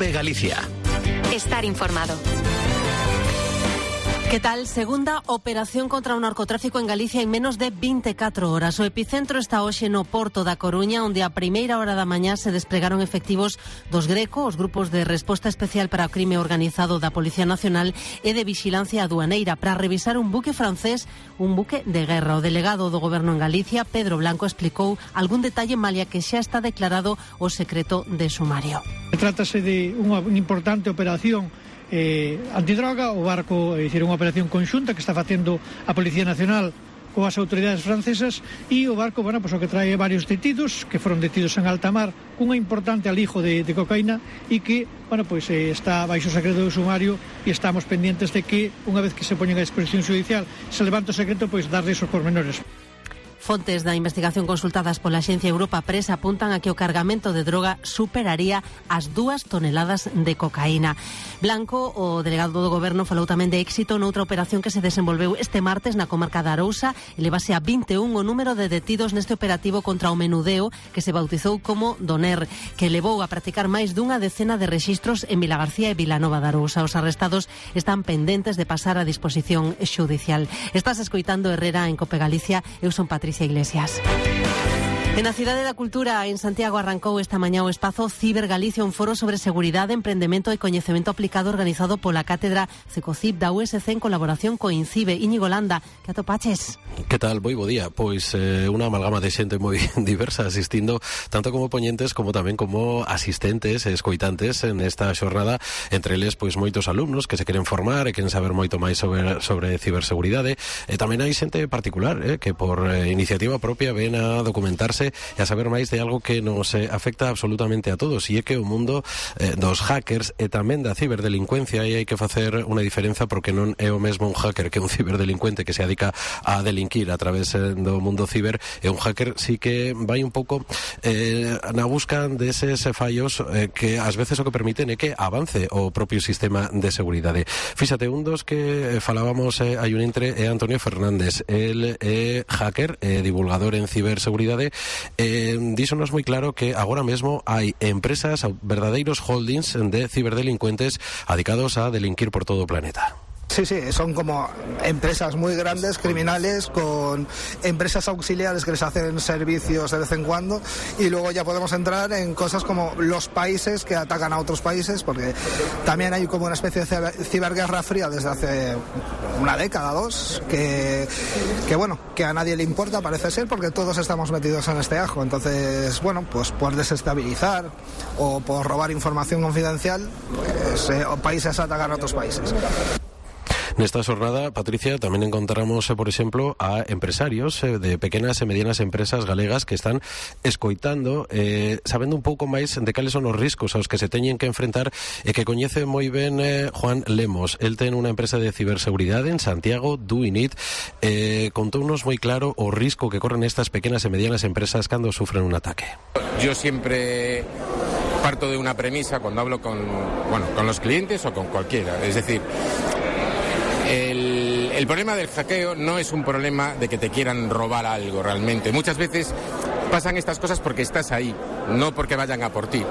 COPE Galicia. Estar informado. Que tal? Segunda operación contra o narcotráfico en Galicia en menos de 24 horas. O epicentro está hoxe no Porto da Coruña, onde a primeira hora da mañá se desplegaron efectivos dos Greco, os grupos de resposta especial para o crime organizado da Policía Nacional e de vixilancia aduaneira, para revisar un buque francés, un buque de guerra. O delegado do Goberno en Galicia, Pedro Blanco, explicou algún detalle malia que xa está declarado o secreto de sumario. Trátase de unha importante operación antidroga. O barco é unha operación conxunta que está facendo a Policía Nacional coas autoridades francesas, e o barco, o que trae varios detidos que foron detidos en alta mar cunha importante alijo de cocaína e que, está baixo secreto do sumario, e estamos pendientes de que, unha vez que se poñen a disposición judicial, se levanta o secreto, darles os pormenores. Fontes da investigación consultadas pola Axencia Europa Press apuntan a que o cargamento de droga superaría as 2 toneladas de cocaína. Blanco, o delegado do Goberno, falou tamén de éxito noutra operación que se desenvolveu este martes na comarca da Arousa. Elevase a 21 o número de detidos neste operativo contra o menudeo, que se bautizou como Doner, que levou a practicar máis dunha decena de rexistros en Vilagarcía e Vilanova da Arousa. Os arrestados están pendentes de pasar a disposición xudicial. Estás escoitando Herrera en Cope Galicia. Eu son Patricia Iglesias. En a Cidade da Cultura, en Santiago, arrancou esta mañá o espazo Ciber Galicia, un foro sobre seguridade, emprendemento e coñecemento aplicado organizado pola Cátedra CECOCIP da USC en colaboración co INCIBE. Íñigo Landa, que atopaches? Que tal? Moi bo día. Pois unha amalgama de xente moi diversa asistindo, tanto como poñentes como tamén como asistentes e escoitantes en esta xornada, entre eles pois moitos alumnos que se queren formar e queren saber moito máis sobre ciberseguridade, e tamén hai xente particular que por iniciativa propia ven a documentarse e a saber máis de algo que nos afecta absolutamente a todos, e é que o mundo dos hackers e tamén da ciberdelincuencia, e hai que facer unha diferenza, porque non é o mesmo un hacker que un ciberdelincuente que se dedica a delinquir a través do mundo ciber, e un hacker sí que vai un pouco na busca deses fallos que ás veces o que permiten é que avance o propio sistema de seguridade. Fíxate, un dos que falábamos hai un intre é Antonio Fernández. El é hacker e divulgador en ciberseguridade. Díxonos moi claro que agora mesmo hai empresas, verdadeiros holdings de ciberdelincuentes adicados a delinquir por todo o planeta. Sí, son como empresas muy grandes, criminales, con empresas auxiliares que les hacen servicios de vez en cuando, y luego ya podemos entrar en cosas como los países que atacan a otros países, porque también hay como una especie de ciberguerra fría desde hace una década, 2, que a nadie le importa, parece ser, porque todos estamos metidos en este ajo. Entonces, pues por desestabilizar o por robar información confidencial, países atacan a otros países. Nesta xornada, Patricia, tamén encontramos, por exemplo, a empresarios de pequenas e medianas empresas galegas que están escoitando, sabendo un pouco máis de cales son os riscos aos que se teñen que enfrentar, e que coñece moi ben Juan Lemos. El ten unha empresa de ciberseguridade en Santiago, Doinit. Contounos moi claro o risco que corren estas pequenas e medianas empresas cando sufren un ataque. Yo siempre parto de una premisa cuando hablo con los clientes o con cualquiera, es decir, el problema del hackeo no es un problema de que te quieran robar algo realmente. Muchas veces pasan estas cosas porque estás ahí, no porque vayan a por ti.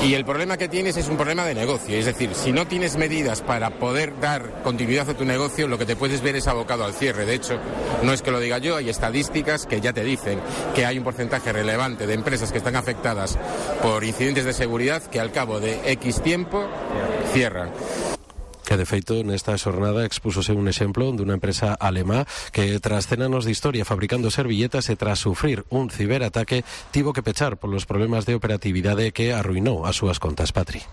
Y el problema que tienes es un problema de negocio. Es decir, si no tienes medidas para poder dar continuidad a tu negocio, lo que te puedes ver es abocado al cierre. De hecho, no es que lo diga yo, hay estadísticas que ya te dicen que hay un porcentaje relevante de empresas que están afectadas por incidentes de seguridad que al cabo de X tiempo cierran. Que de feito nesta xornada expúsose un exemplo dunha empresa alemá que tras cenanos de historia fabricando servilletas e tras sufrir un ciberataque tivo que pechar polos problemas de operatividade que arruinou as súas contas. Patri.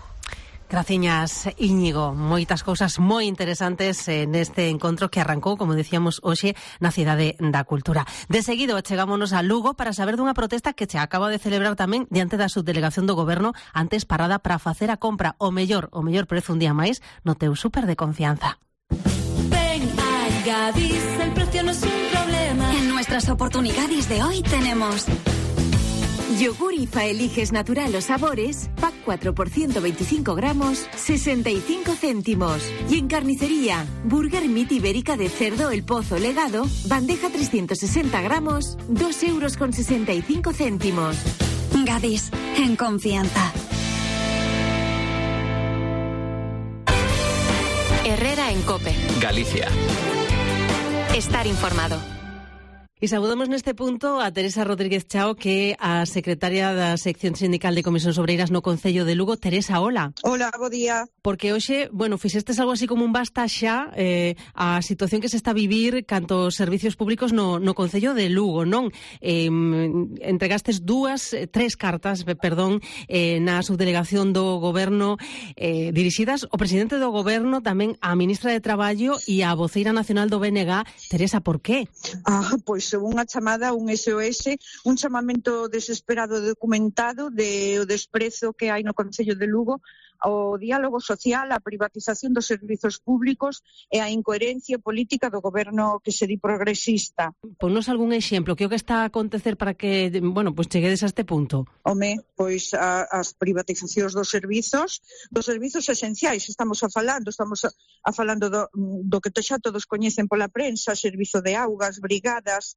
Graciñas, Íñigo. Moitas cousas moi interesantes neste encontro que arrancou, como decíamos, hoxe na Cidade da Cultura. De seguido, chegámonos a Lugo para saber dunha protesta que se acaba de celebrar tamén diante da subdelegación do Goberno, antes parada para facer a compra o mellor prezo un día máis no teu súper de confianza. Ven a Gadis, el precio no es un problema. En nuestras oportunidades de hoy tenemos yogur IFA Eliges Natural o Sabores, pack 4 por 125 gramos, 65 céntimos. Y en carnicería, Burger Meat Ibérica de cerdo El Pozo Legado, bandeja 360 gramos, 2,65 €. Gadis, en confianza. Herrera en COPE. Galicia. Estar informado. E saudamos neste punto a Teresa Rodríguez Chao, que é a secretaria da sección sindical de Comisións Obreiras no Concello de Lugo. Teresa, hola. Hola, bo día. Porque hoxe, fixestes algo así como un basta xa a situación que se está a vivir canto os servicios públicos no Concello de Lugo, non? Entregastes tres cartas, na subdelegación do Goberno dirixidas ao presidente do Goberno, tamén á ministra de Traballo e á voceira nacional do BNG. Teresa, por qué? Pois unha chamada, un SOS, un chamamento desesperado documentado de o desprezo que hai no Concello de Lugo ao diálogo social, a privatización dos servizos públicos e a incoherencia política do goberno que se di progresista. Ponnos algún exemplo, que o que está a acontecer para que, cheguedes a este punto? Pois as privatizacións dos servizos esenciais, estamos a falando do que xa todos coñecen pola prensa, servizo de augas, brigadas,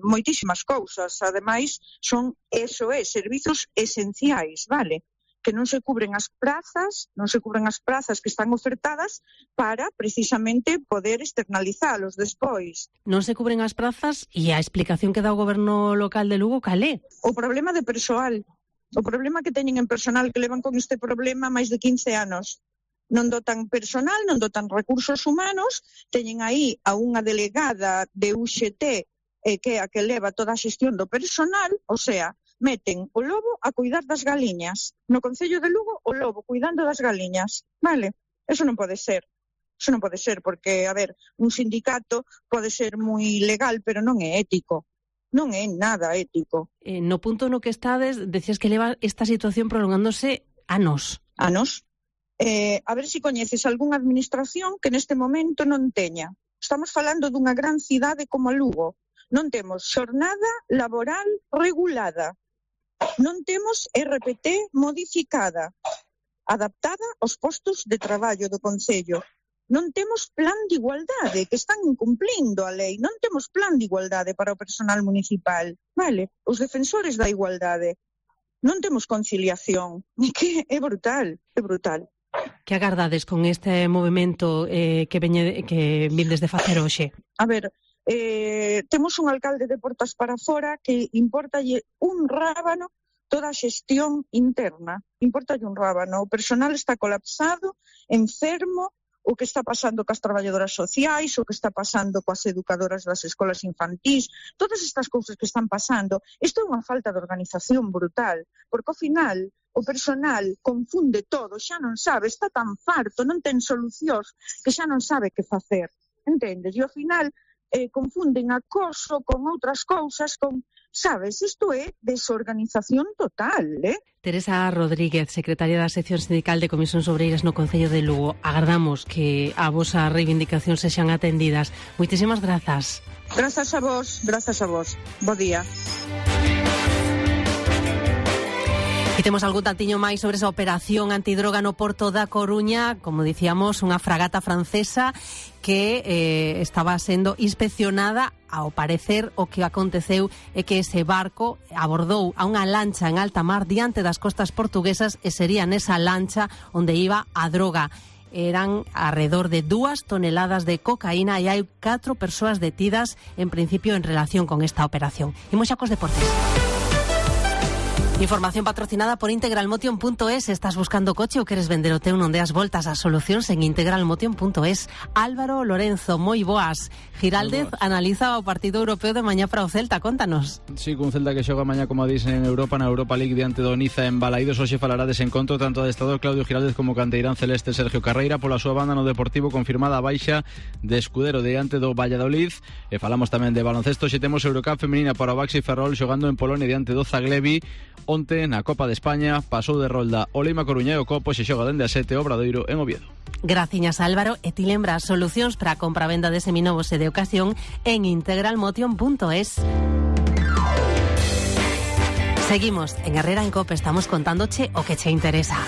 moitísimas cousas. Ademais, son servizos esenciais, vale? Que non se cubren as prazas que están ofertadas para precisamente poder externalizalos despois. Non se cubren as prazas e a explicación que dá o goberno local de Lugo, cal é? O problema de persoal, o problema que teñen en personal, que levan con este problema máis de 15 anos. Non dotan personal, non dotan recursos humanos, teñen aí a unha delegada de UGT que é a que leva toda a xestión do personal, o sea, meten o lobo a cuidar das galiñas. No Concello de Lugo, o lobo cuidando das galiñas. Vale? Eso non pode ser. Eso non pode ser, porque, un sindicato pode ser moi legal, pero non é ético. Non é nada ético. No punto no que estades, decías que leva esta situación prolongándose anos. Anos? A ver se coñeces algunha administración que neste momento non teña. Estamos falando dunha gran cidade como Lugo. Non temos xornada laboral regulada. Non temos RPT modificada, adaptada aos postos de traballo do Concello. Non temos plan de igualdade, que están incumplindo a lei. Non temos plan de igualdade para o personal municipal. Vale, os defensores da igualdade. Non temos conciliación. Que é brutal, é brutal. Que agardades con este movimento que vindes de facer hoxe? Temos un alcalde de portas para fora que importalle un rábano toda a xestión interna. Importalle un rábano. O personal está colapsado, enfermo, o que está pasando cas traballadoras sociais, o que está pasando coas educadoras das escolas infantís, todas estas cousas que están pasando. Isto é unha falta de organización brutal, porque ao final o personal confunde todo, xa non sabe, está tan farto, non ten solucións, que xa non sabe que facer. Entendes? E ao final confunden acoso con outras cousas, sabes, isto é desorganización total, Teresa Rodríguez, secretaria da sección sindical de Comisións Obreiras no Concello de Lugo. Agardamos que a vosa reivindicacións sexan atendidas. Moitísimas grazas. Grazas a vos. Bo día. E temos algún tantiño máis sobre esa operación antidroga no Porto da Coruña, como dicíamos, unha fragata francesa que estaba sendo inspeccionada. Ao parecer, o que aconteceu é que ese barco abordou a unha lancha en alta mar diante das costas portuguesas e sería nesa lancha onde iba a droga. Eran alrededor de 2 toneladas de cocaína e hai 4 persoas detidas en principio en relación con esta operación. Imos xa cos deportes. Información patrocinada por integralmotion.es. Estás buscando coche ou queres vender o teu? Non deas voltas ás solucións en integralmotion.es. Álvaro Lorenzo, moi boas. Giraldez analiza o partido europeo de mañá para o Celta, contanos. Sí, cun Celta que xoga mañá, como dicen, en Europa, na Europa League diante do Niza en Balaídos. Hoxe falará dese encontro tanto adestrador Claudio Giraldez como canteirán celeste Sergio Carreira. Pola súa banda no Deportivo confirmada a baixa de Escudero diante do Valladolid. E falamos tamén de baloncesto. Xe temos Eurocup femenina para o Baxi Ferrol xogando en Polonia diante do Zaglevi. Onte na Copa de España pasou de rolda o Leima Coruña e o Copo se xoga dende a 7 Obradoiro en Oviedo. Graciñas, Álvaro, e ti lembras solucións para a compra-venda de seminovos e de ocasión en integralmotion.es. Seguimos en Herrera en Cope, estamos contándoche o que che interesa.